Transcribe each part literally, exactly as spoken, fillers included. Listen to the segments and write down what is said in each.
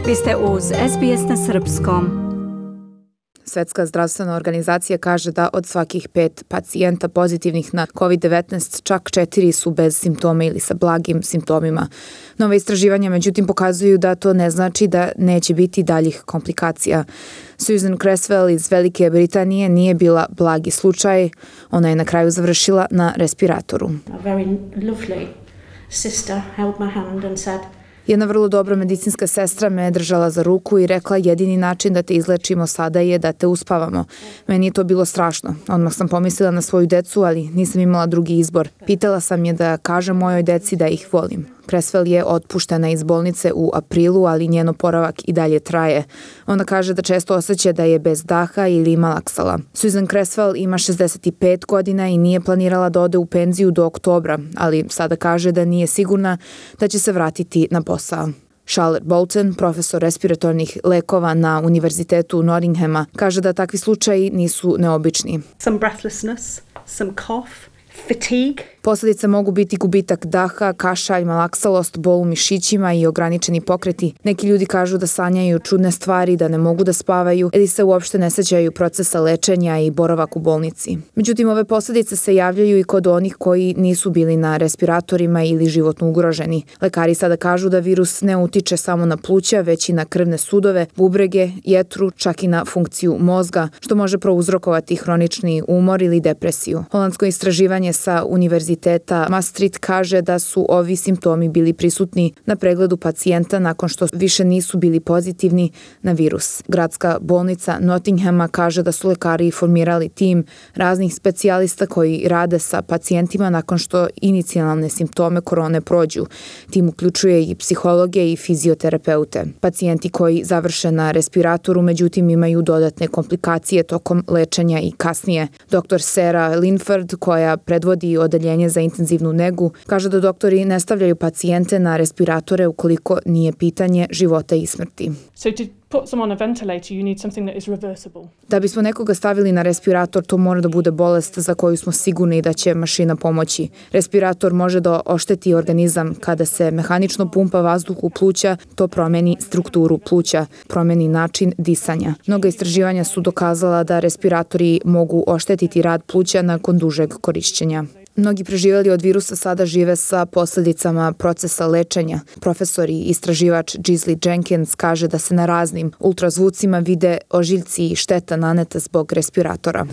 Vi ste uz S B S na srpskom. Svetska zdravstvena organizacija kaže da od svakih pet pacijenta pozitivnih na kovid devetnaest čak četiri su bez simptoma ili sa blagim simptomima. Nova istraživanja međutim pokazuju da to ne znači da neće biti daljih komplikacija. Susan Creswell iz Velike Britanije nije bila blagi slučaj. Ona je na kraju završila na respiratoru. A very lovely sister held my hand and said, Jedna vrlo dobra medicinska sestra me je držala za ruku i rekla jedini način da te izlečimo sada je da te uspavamo. Meni je to bilo strašno. Odmah sam pomislila na svoju decu, ali nisam imala drugi izbor. Pitala sam je da kažem mojoj deci da ih volim. Creswell je otpuštena iz bolnice u aprilu, ali njen oporavak i dalje traje. Ona kaže da često osjeća da je bez daha ili malaksala. Susan Creswell ima šezdeset pet godina i nije planirala da ode u penziju do oktobra, ali sada kaže da nije sigurna da će se vratiti na posao. Charlotte Bolton, profesor respiratornih lekova na Univerzitetu Nottinghama, kaže da takvi slučaji nisu neobični. Some breathlessness, some cough, fatigue. Posledice mogu biti gubitak daha, kašalj, malaksalost, bol u mišićima i ograničeni pokreti. Neki ljudi kažu da sanjaju čudne stvari, da ne mogu da spavaju ili se uopšte ne sećaju procesa lečenja i boravak u bolnici. Međutim, ove posledice se javljaju i kod onih koji nisu bili na respiratorima ili životno ugroženi. Lekari sada kažu da virus ne utiče samo na pluća, već i na krvne sudove, bubrege, jetru, čak i na funkciju mozga, što može prouzrokovati hronični umor ili depresiju. Holandsko istraživanje sa Univerziteta Maastricht kaže da su ovi simptomi bili prisutni na pregledu pacijenta nakon što više nisu bili pozitivni na virus. Gradska bolnica Nottinghama kaže da su lekari formirali tim raznih specijalista koji rade sa pacijentima nakon što inicijalne simptome korone prođu. Tim uključuje i psihologe i fizioterapeute. Pacijenti koji završe na respiratoru međutim imaju dodatne komplikacije tokom lečenja i kasnije. doktor Sarah Linford, koja predvodi odeljenje za intenzivnu negu, kaže da doktori ne stavljaju pacijente na respiratore ukoliko nije pitanje života i smrti. So to put someone on a ventilator, you need something that is reversible. Da bismo nekoga stavili na respirator, to mora da bude bolest za koju smo sigurni da će mašina pomoći. Respirator može da ošteti organizam. Kada se mehanično pumpa vazduh u pluća, to promeni strukturu pluća, promeni način disanja. Mnoga istraživanja su dokazala da respiratori mogu oštetiti rad pluća nakon dužeg korišćenja. Mnogi preživjeli od virusa sada žive sa posljedicama procesa lečenja. Profesor i istraživač Gisli Jenkins kaže da se na raznim ultrazvucima vide ožiljci i šteta naneta zbog respiratora.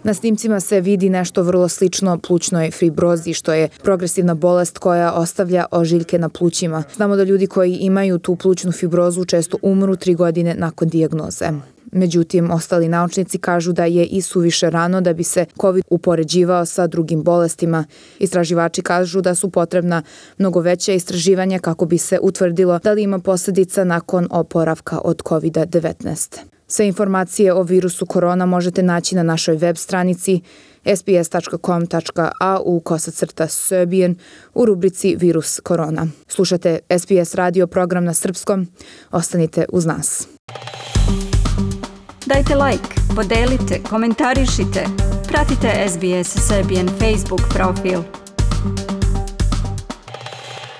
Na snimcima se vidi nešto vrlo slično plućnoj fibrozi, što je progresivna bolest koja ostavlja ožiljke na plućima. Znamo da ljudi koji imaju tu plućnu fibrozu često umru tri godine nakon dijagnoze. Međutim, ostali naučnici kažu da je i suviše rano da bi se COVID upoređivao sa drugim bolestima. Istraživači kažu da su potrebna mnogo veća istraživanja kako bi se utvrdilo da li ima posljedica nakon oporavka od kovid devetnaest. Sve informacije o virusu korona možete naći na našoj web stranici s b s dot com dot a u kosacrta Serbian u rubrici Virus korona. Slušate S B S radio program na srpskom. Ostanite uz nas. Dajte like, podelite, komentarišite. Pratite S B S Serbian Facebook profil.